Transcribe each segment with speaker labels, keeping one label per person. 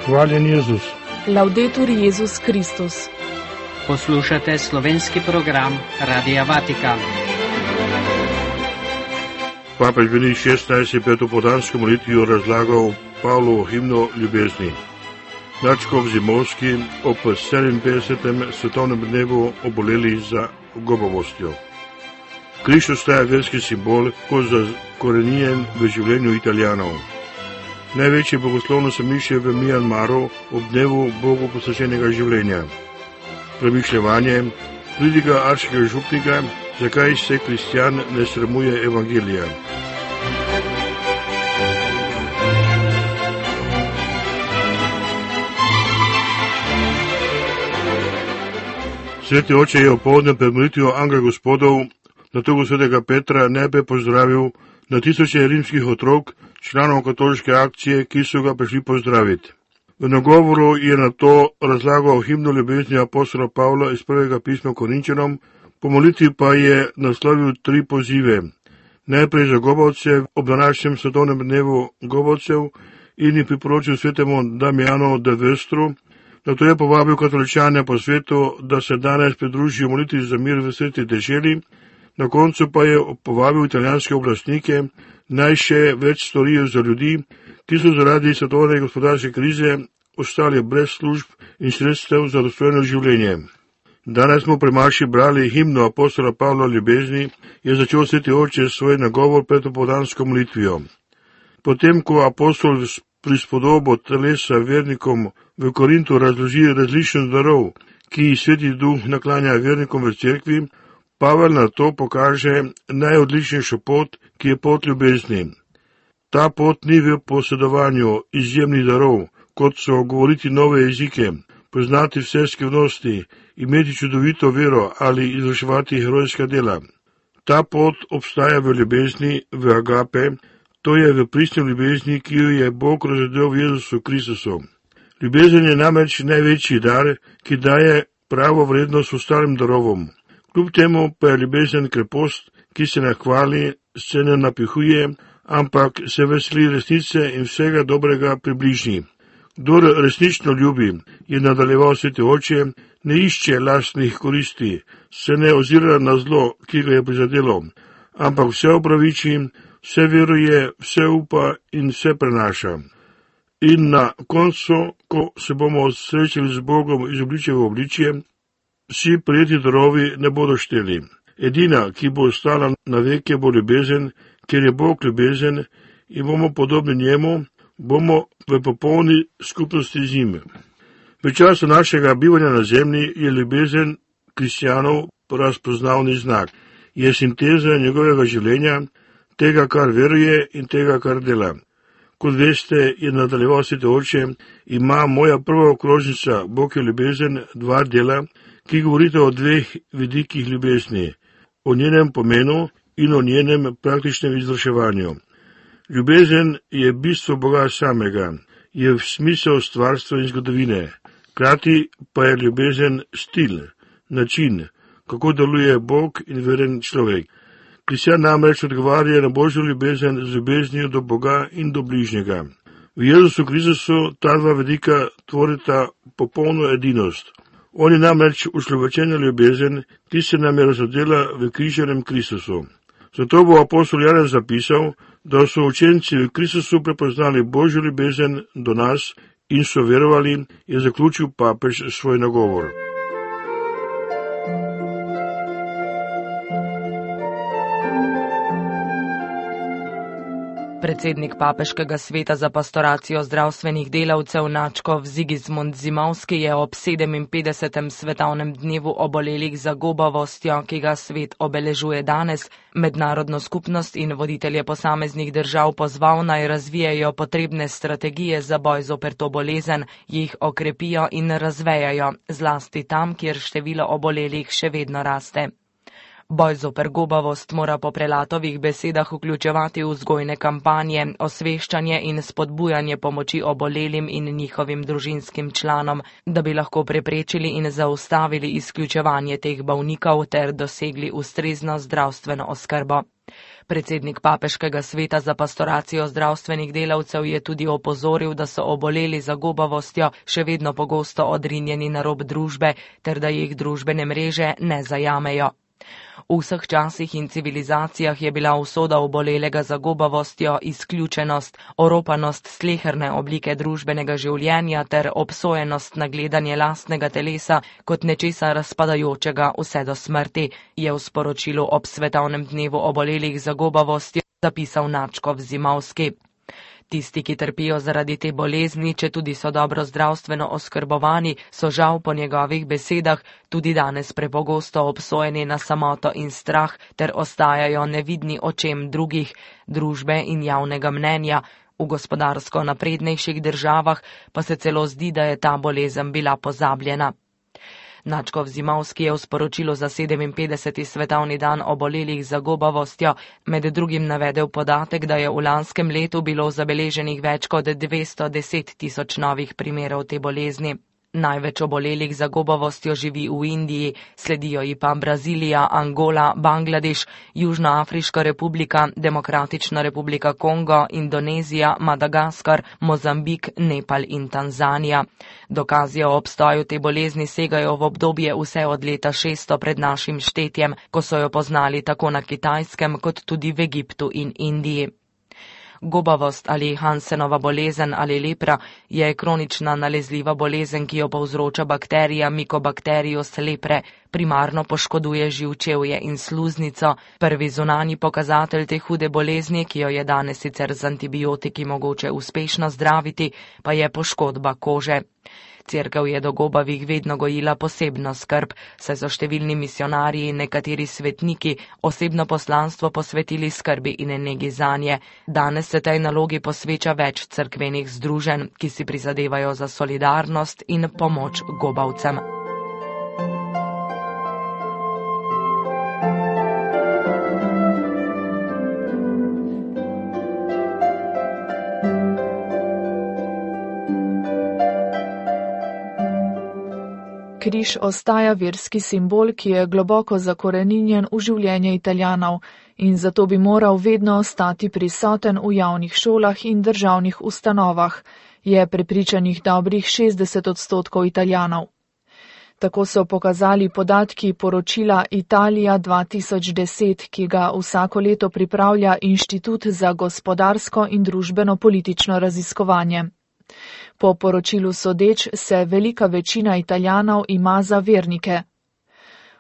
Speaker 1: Hvaljen Jezus.
Speaker 2: Laudetur Jezus Kristus.
Speaker 3: Poslušate slovenski program Radia Vatikan.
Speaker 1: Papež Benedikt XVI je pred opoldansko molitvijo razlagal Pavlovo himno ljubezni. Nadškof Zimovski ob 57. svetovnem dnevu oboleli za gobavostjo. Križ ostaja verski simbol, kot zakorenjen v življenju Italijanov. Največje bogoslovno središče v Mjanmaru ob dnevu Bogu posvečenega življenja. Premišljevanje pridiga arškega župnika, zakaj se kristjan ne sramuje evangelija. Sveti oče je opoldne pred molitvijo Angela Gospodov na trgu svetega Petra najprej pozdravil na tisoče rimskih otrok, članov katoliške akcije, ki so ga prišli pozdraviti. V nagovoru je na to razlagal himno ljubezni apostola Pavla iz prvega pisma Korinčanom, po molitvi pa je naslovil 3 pozive. Najprej za gobavce ob današnjem svetovnem dnevu gobavcev in jih priporočil svetemu Damjanu de Vestru. Nato je povabil katoličane po svetu, da se danes pridružijo molitvi za mir v sveti deželi. Na koncu pa je povabil italijanske oblastnike, naj še več storijo za ljudi, ki so zaradi svetovne gospodarske krize ostali brez služb in sredstev za dostojno življenje. Danes smo pri maši brali himno apostola Pavla ljubezni, je začel sveti oče svoj nagovor pred opoldansko molitvijo. Potem, ko apostol prispodobo telesa vernikom v Korintu razloži različnost darov, ki jih sveti duh naklanja vernikom v cerkvi, Pavel na to pokaže najodličnejšo pot, ki je pot ljubezni. Ta pot ni v posedovanju izjemnih darov, kot so govoriti nove jezike, poznati vse skrivnosti, imeti čudovito vero ali izvrševati herojska dela. Ta pot obstaja v ljubezni, v agape, to je v pristni ljubezni, ki jo je Bog razdelil v Jezusu Kristusu. Ljubezen je namreč največji dar, ki daje pravo vrednost ostalim darovom. Kljub temu pa je ljubezen krepost, ki se ne hvali, se ne napihuje, ampak se veseli resnice in vsega dobrega pri bližnji. Kdor resnično ljubi, je nadaljeval sveti oče, ne išče lastnih koristi, se ne ozira na zlo, ki ga je prizadelo, ampak vse opraviči, vse veruje, vse upa in vse prenaša. In na koncu, ko se bomo srečali z Bogom iz obličja v obličje, vsi prijeti darovi ne bodo šteli. Edina, ki bo ostala na veke, bo ljubezen, ker je Bog ljubezen in bomo podobni njemu, bomo v popolni skupnosti z njim. V času našega bivanja na zemlji je ljubezen kristjanov razpoznavni znak. Je sinteza njegovega življenja, tega, kar veruje in tega, kar dela. Kot veste, je nadaljeval sveti oče, ima moja prva okrožnica, Bog je ljubezen, 2 dela, ki govorite o 2 vidikih ljubezni, o njenem pomenu in o njenem praktičnem izvrševanju. Ljubezen je bistvo Boga samega, je v smisel stvarstva in zgodovine, hkrati pa je ljubezen stil, način, kako deluje Bog in veren človek. Kristjan namreč odgovarja na Božjo ljubezen z ljubeznijo do Boga in do bližnjega. V Jezusu Kristusu ta 2 vidika tvorita popolno edinost. On je namreč ušlovečena ljubezen, ki se nam je razodela v križanem Kristusu. Zato bo apostol Janez zapisal, da so učenci v Kristusu prepoznali Božjo ljubezen do nas in so verovali, je zaključil papež svoj nagovor.
Speaker 2: Predsednik Papeškega sveta za pastoracijo zdravstvenih delavcev nadškof Sigismund Zimovski je ob 57. svetovnem dnevu obolelih za gobavostjo, ki ga svet obeležuje danes, mednarodno skupnost in voditelje posameznih držav pozval, naj razvijajo potrebne strategije za boj zoper to bolezen, jih okrepijo in razvejajo, zlasti tam, kjer število obolelih še vedno raste. Boj zoper gobavost mora po Prelatovih besedah vključevati vzgojne kampanje, osveščanje in spodbujanje pomoči obolelim in njihovim družinskim članom, da bi lahko preprečili in zaustavili izključevanje teh bolnikov ter dosegli ustrezno zdravstveno oskrbo. Predsednik Papeškega sveta za pastoracijo zdravstvenih delavcev je tudi opozoril, da so oboleli za gobavostjo še vedno pogosto odrinjeni na rob družbe ter da jih družbene mreže ne zajamejo. V vseh časih in civilizacijah je bila usoda obolelega za gobavostjo izključenost, oropanost sleherne oblike družbenega življenja ter obsojenost na gledanje lastnega telesa kot nečesa razpadajočega vse do smrti, je v sporočilu ob svetovnem dnevu obolelih za gobavostjo zapisal Načkov Zimovski. Tisti, ki trpijo zaradi te bolezni, če tudi so dobro zdravstveno oskrbovani, so žal po njegovih besedah tudi danes prepogosto obsojeni na samoto in strah ter ostajajo nevidni očem drugih, družbe in javnega mnenja. V gospodarsko naprednejših državah pa se celo zdi, da je ta bolezen bila pozabljena. Načkov Zimovski je v sporočilu za 57. svetovni dan obolelih za gobavostjo med drugim navedel podatek, da je v lanskem letu bilo zabeleženih več kot 210 tisoč novih primerov te bolezni. Največ obolelih za gobavostjo živi v Indiji, sledijo ji pa Brazilija, Angola, Bangladeš, Južnoafriška republika, Demokratična republika Kongo, Indonezija, Madagaskar, Mozambik, Nepal in Tanzanija. Dokazi o obstoju te bolezni segajo v obdobje vse od leta 600 pred našim štetjem, ko so jo poznali tako na Kitajskem kot tudi v Egiptu in Indiji. Gobavost ali Hansenova bolezen ali lepra je kronična nalezljiva bolezen, ki jo povzroča bakterija Mycobacterius lepre, primarno poškoduje živčevje in sluznico. Prvi zunanji pokazatelj te hude bolezni, ki jo je danes sicer z antibiotiki mogoče uspešno zdraviti, pa je poškodba kože. Cerkev je do gobavih vedno gojila posebno skrb, saj so številni misionarji in nekateri svetniki osebno poslanstvo posvetili skrbi in negi zanje. Danes se tej nalogi posveča več cerkvenih združenj, ki si prizadevajo za solidarnost in pomoč gobavcem.
Speaker 4: Križ ostaja verski simbol, ki je globoko zakoreninjen v življenje Italijanov in zato bi moral vedno ostati prisoten v javnih šolah in državnih ustanovah, je prepričanih dobrih 60% Italijanov. Tako so pokazali podatki poročila Italija 2010, ki ga vsako leto pripravlja Inštitut za gospodarsko in družbeno-politično raziskovanje. Po poročilu sodeč se velika večina Italijanov ima za vernike.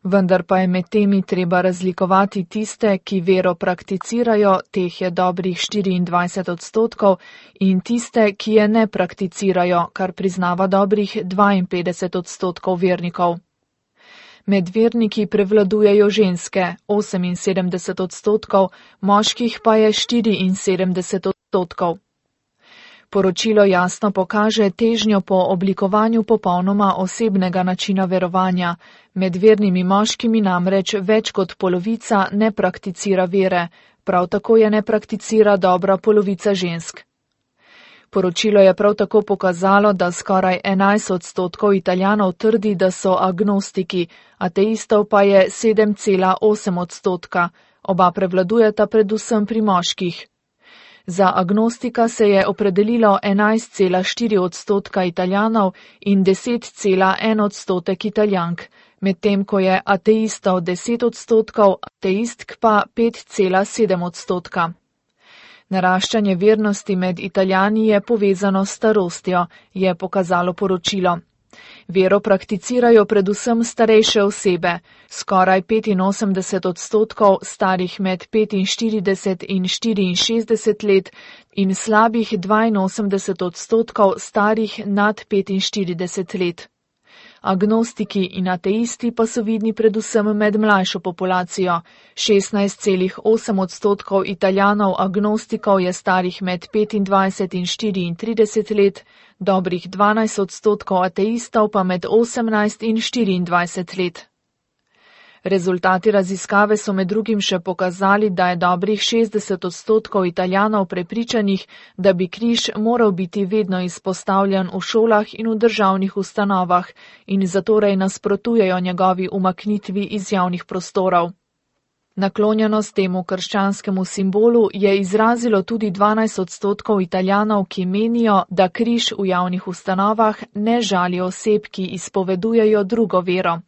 Speaker 4: Vendar pa je med temi treba razlikovati tiste, ki vero prakticirajo, teh je dobrih 24%, in tiste, ki je ne prakticirajo, kar priznava dobrih 52% vernikov. Med verniki prevladujejo ženske, 78%, moških pa je 74%. Poročilo jasno pokaže težnjo po oblikovanju popolnoma osebnega načina verovanja. Med vernimi moškimi namreč več kot polovica ne prakticira vere, prav tako je ne prakticira dobra polovica žensk. Poročilo je prav tako pokazalo, da skoraj 11% Italijanov trdi, da so agnostiki, ateistov pa je 7,8%. Oba prevladujeta predvsem pri moških. Za agnostika se je opredelilo 11,4% Italijanov in 10,1% Italijank, medtem ko je ateistov 10%, ateistk pa 5,7%. Naraščanje vernosti med Italijani je povezano s starostjo, je pokazalo poročilo. Vero prakticirajo predvsem starejše osebe, skoraj 85% starih med 45 in 64 let in slabih 82% starih nad 45 let. Agnostiki in ateisti pa so vidni predvsem med mlajšo populacijo. 16,8% Italijanov agnostikov je starih med 25 in 34 let, dobrih 12% ateistov pa med 18 in 24 let. Rezultati raziskave so med drugim še pokazali, da je dobrih 60% Italijanov prepričanih, da bi križ moral biti vedno izpostavljen v šolah in v državnih ustanovah in zatorej nasprotujejo njegovi umaknitvi iz javnih prostorov. Naklonjenost temu krščanskemu simbolu je izrazilo tudi 12% Italijanov, ki menijo, da križ v javnih ustanovah ne žali oseb, ki izpovedujejo drugo vero.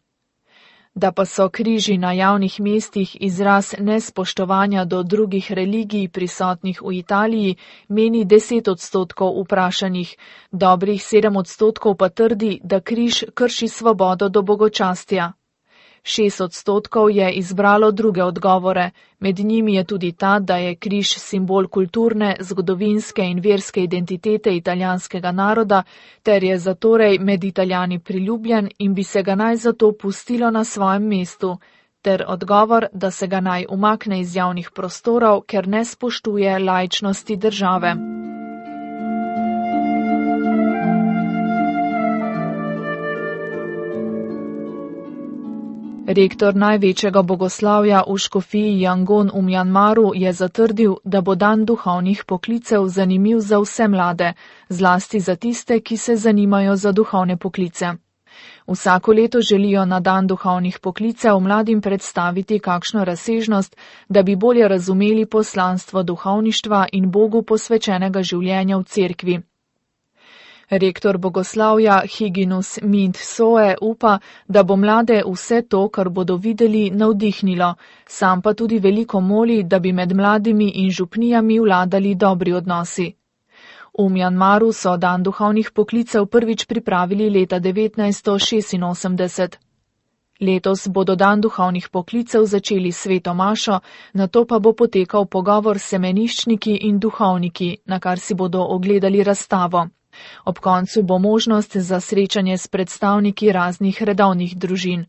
Speaker 4: Da pa so križi na javnih mestih izraz nespoštovanja do drugih religij prisotnih v Italiji, meni 10% vprašanih, dobrih 7% pa trdi, da križ krši svobodo do bogočastja. 6% je izbralo druge odgovore, med njimi je tudi ta, da je križ simbol kulturne, zgodovinske in verske identitete italijanskega naroda, ter je zatorej med Italijani priljubljen in bi se ga naj zato pustilo na svojem mestu, ter odgovor, da se ga naj umakne iz javnih prostorov, ker ne spoštuje laičnosti države. Rektor največjega bogoslavja v škofiji Yangon v Mjanmaru je zatrdil, da bo dan duhovnih poklicev zanimiv za vse mlade, zlasti za tiste, ki se zanimajo za duhovne poklice. Vsako leto želijo na dan duhovnih poklicev mladim predstaviti kakšno razsežnost, da bi bolje razumeli poslanstvo duhovništva in Bogu posvečenega življenja v cerkvi. Rektor bogoslavja Higinus Mint Soe upa, da bo mlade vse to, kar bodo videli, navdihnilo, sam pa tudi veliko moli, da bi med mladimi in župnijami vladali dobri odnosi. V Mjanmaru so dan duhovnih poklicev prvič pripravili leta 1986. Letos bodo dan duhovnih poklicev začeli s sveto mašo, nato pa bo potekal pogovor s semeniščniki in duhovniki, na kar si bodo ogledali razstavo. Ob koncu bo možnost za srečanje s predstavniki raznih redovnih družin.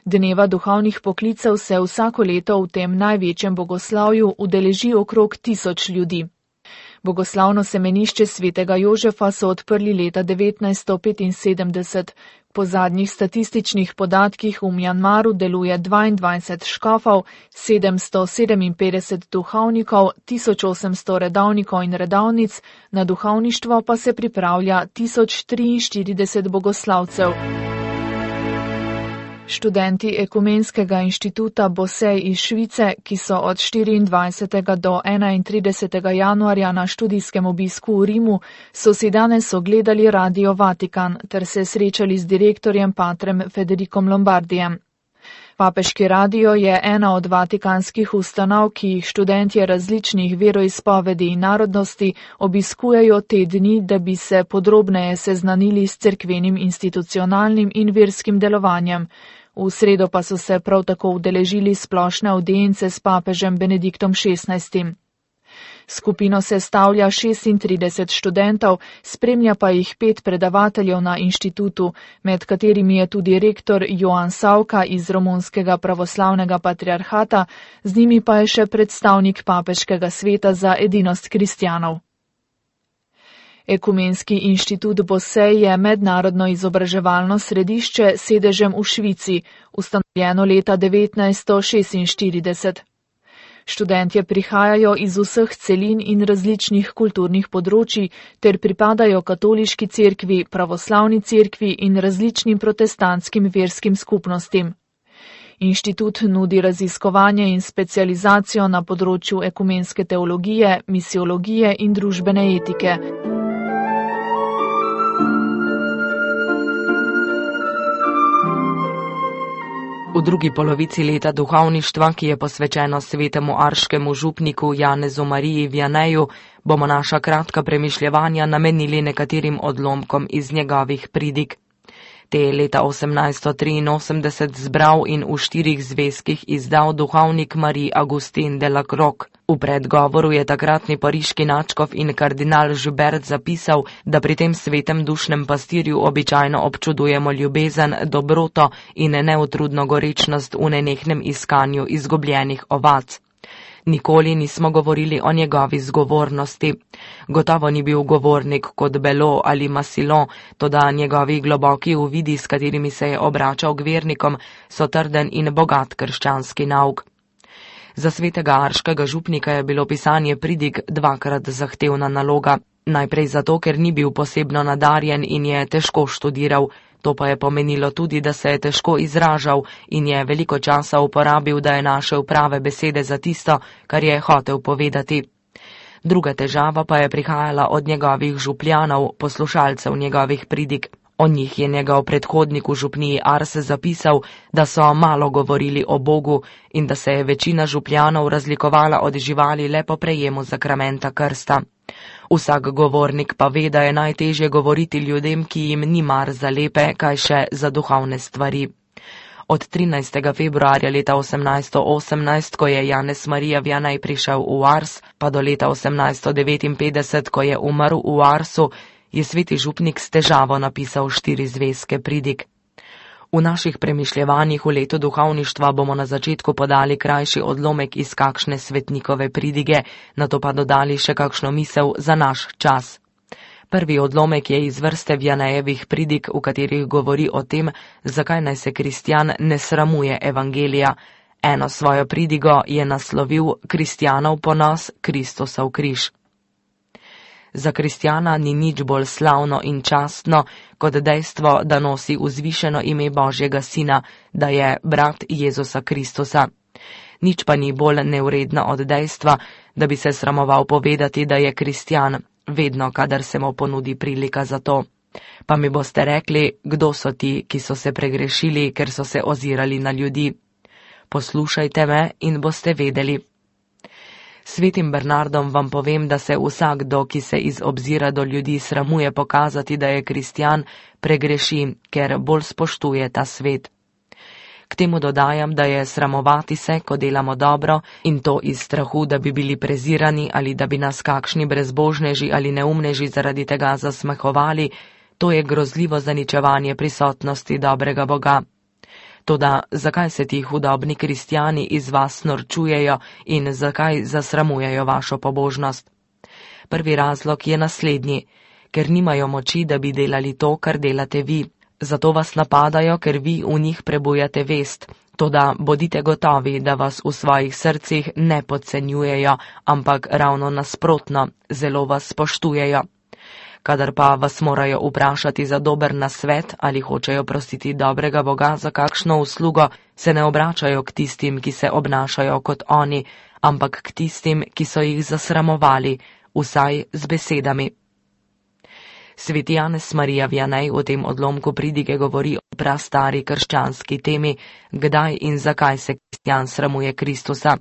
Speaker 4: Dneva duhovnih poklicev se vsako leto v tem največjem bogoslavju udeleži okrog 1000 ljudi. Bogoslavno semenišče svetega Jožefa so odprli leta 1975. Po zadnjih statističnih podatkih v Mjanmaru deluje 22 škofov, 757 duhovnikov, 1800 redovnikov in redovnic, na duhovništvo pa se pripravlja 1043 bogoslavcev. Študenti Ekumenskega inštituta Bosej iz Švice, ki so od 24. do 31. januarja na študijskem obisku v Rimu, so si danes ogledali Radio Vatikan ter se srečali z direktorjem patrem Federikom Lombardijem. Papeški radio je ena od vatikanskih ustanov, ki jih študentje različnih veroizpovedi in narodnosti obiskujejo te dni, da bi se podrobneje seznanili s cerkvenim institucionalnim in verskim delovanjem. V sredo pa so se prav tako udeležili splošne avdience s papežem Benediktom XVI. Skupino sestavlja 36 študentov, spremlja pa jih 5 predavateljev na inštitutu, med katerimi je tudi rektor Joan Savka iz Romunskega pravoslavnega patriarhata, z njimi pa je še predstavnik Papeškega sveta za edinost kristjanov. Ekumenski inštitut Bosej je mednarodno izobraževalno središče s sedežem v Švici, ustanovljeno leta 1946. Študentje prihajajo iz vseh celin in različnih kulturnih področij ter pripadajo katoliški cerkvi, pravoslavni cerkvi in različnim protestantskim verskim skupnostim. Inštitut nudi raziskovanje in specializacijo na področju ekumenske teologije, misiologije in družbene etike.
Speaker 2: V drugi polovici leta duhovništva, ki je posvečeno svetemu arškemu župniku Janezu Mariji Vianeju, bomo naša kratka premišljevanja namenili nekaterim odlomkom iz njegovih pridig. Te je leta 1883 zbral in v 4 zvezkih izdal duhovnik Marie Augustin de la Croix. V predgovoru je takratni pariški nadškof in kardinal Joubert zapisal, da pri tem svetem dušnem pastirju običajno občudujemo ljubezen, dobroto in neutrudno gorečnost v nenehnem iskanju izgubljenih ovac. Nikoli nismo govorili o njegovi zgovornosti. Gotovo ni bil govornik kot Belo ali Massillon, toda njegovi globoki uvidi, s katerimi se je obračal k vernikom, so trden in bogat krščanski nauk. Za svetega arškega župnika je bilo pisanje pridig 2krat zahtevna naloga. Najprej zato, ker ni bil posebno nadarjen in je težko študiral. To pa je pomenilo tudi, da se je težko izražal in je veliko časa uporabil, da je našel prave besede za tisto, kar je hotel povedati. Druga težava pa je prihajala od njegovih župljanov, poslušalcev njegovih pridig. O njih je njegov predhodnik v župniji Ars zapisal, da so malo govorili o Bogu in da se je večina župljanov razlikovala od živali le po prejemu zakramenta krsta. Vsak govornik pa ve, da je najtežje govoriti ljudem, ki jim ni mar za lepe, kaj še za duhovne stvari. Od 13. februarja leta 1818, ko je Janez Marija Vianney prišel v Ars, pa do leta 1859, ko je umrl v Arsu, je sveti župnik s težavo napisal 4 zvezke pridig. V naših premišljevanjih v letu duhovništva bomo na začetku podali krajši odlomek iz kakšne svetnikove pridige, nato pa dodali še kakšno misel za naš čas. Prvi odlomek je iz vrste Vianneyjevih pridig, v katerih govori o tem, zakaj naj se kristjan ne sramuje evangelija. Eno svojo pridigo je naslovil Kristjanov ponos, Kristusov križ. Za kristjana ni nič bolj slavno in častno, kot dejstvo, da nosi vzvišeno ime Božjega Sina, da je brat Jezusa Kristusa. Nič pa ni bolj nevredno od dejstva, da bi se sramoval povedati, da je kristjan, vedno, kadar se mu ponudi prilika za to. Pa mi boste rekli, kdo so ti, ki so se pregrešili, ker so se ozirali na ljudi. Poslušajte me in boste vedeli. Svetim Bernardom vam povem, da se vsakdo, ki se iz obzira do ljudi sramuje pokazati, da je kristjan, pregreši, ker bolj spoštuje ta svet. K temu dodajam, da je sramovati se, ko delamo dobro, in to iz strahu, da bi bili prezirani ali da bi nas kakšni brezbožneži ali neumneži zaradi tega zasmehovali, to je grozljivo zaničevanje prisotnosti dobrega Boga. Toda zakaj se ti hudobni kristjani iz vas norčujejo in zakaj zasramujejo vašo pobožnost? Prvi razlog je naslednji, ker nimajo moči, da bi delali to, kar delate vi. Zato vas napadajo, ker vi v njih prebujate vest. Toda bodite gotovi, da vas v svojih srcih ne podcenjujejo, ampak ravno nasprotno, zelo vas spoštujejo. Kadar pa vas morajo vprašati za dober nasvet ali hočejo prositi dobrega Boga za kakšno uslugo, se ne obračajo k tistim, ki se obnašajo kot oni, ampak k tistim, ki so jih zasramovali, vsaj z besedami. Sveti Janez Marija Vianney v tem odlomku pridige govori o prastari krščanski temi, kdaj in zakaj se kristjan sramuje Kristusa.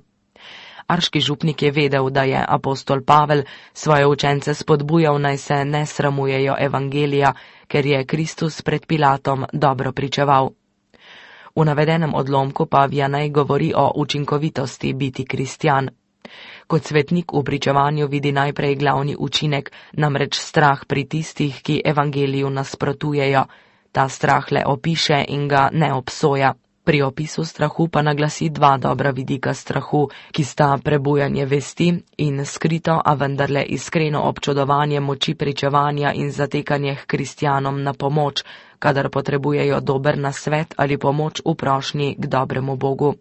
Speaker 2: Arški župnik je vedel, da je apostol Pavel svoje učence spodbujal, naj se ne sramujejo evangelija, ker je Kristus pred Pilatom dobro pričeval. V navedenem odlomku pa Vianney govori o učinkovitosti biti kristjan. Kot svetnik v pričevanju vidi najprej glavni učinek, namreč strah pri tistih, ki evangeliju nasprotujejo. Ta strah le opiše in ga ne obsoja. Pri opisu strahu pa naglasi 2 dobra vidika strahu, ki sta prebujanje vesti in skrito, a vendarle iskreno občudovanje moči pričevanja in zatekanje k kristjanom na pomoč, kadar potrebujejo dober nasvet ali pomoč v prošnji k dobremu Bogu.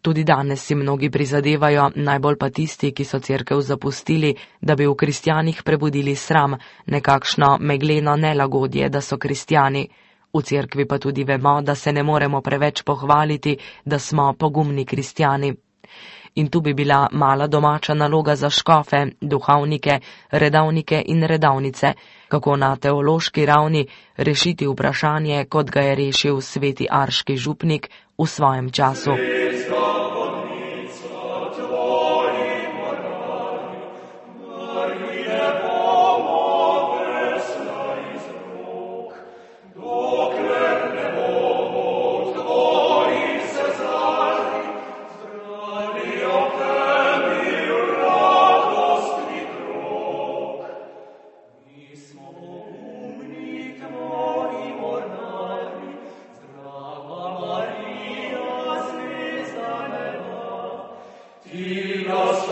Speaker 2: Tudi danes si mnogi prizadevajo, najbolj pa tisti, ki so cerkev zapustili, da bi v kristjanih prebudili sram, nekakšno megleno nelagodje, da so kristjani. V cerkvi pa tudi vemo, da se ne moremo preveč pohvaliti, da smo pogumni kristjani. In tu bi bila mala domača naloga za škofe, duhovnike, redavnike in redavnice, kako na teološki ravni rešiti vprašanje, kot ga je rešil sveti arški župnik v svojem času.
Speaker 5: Ti nas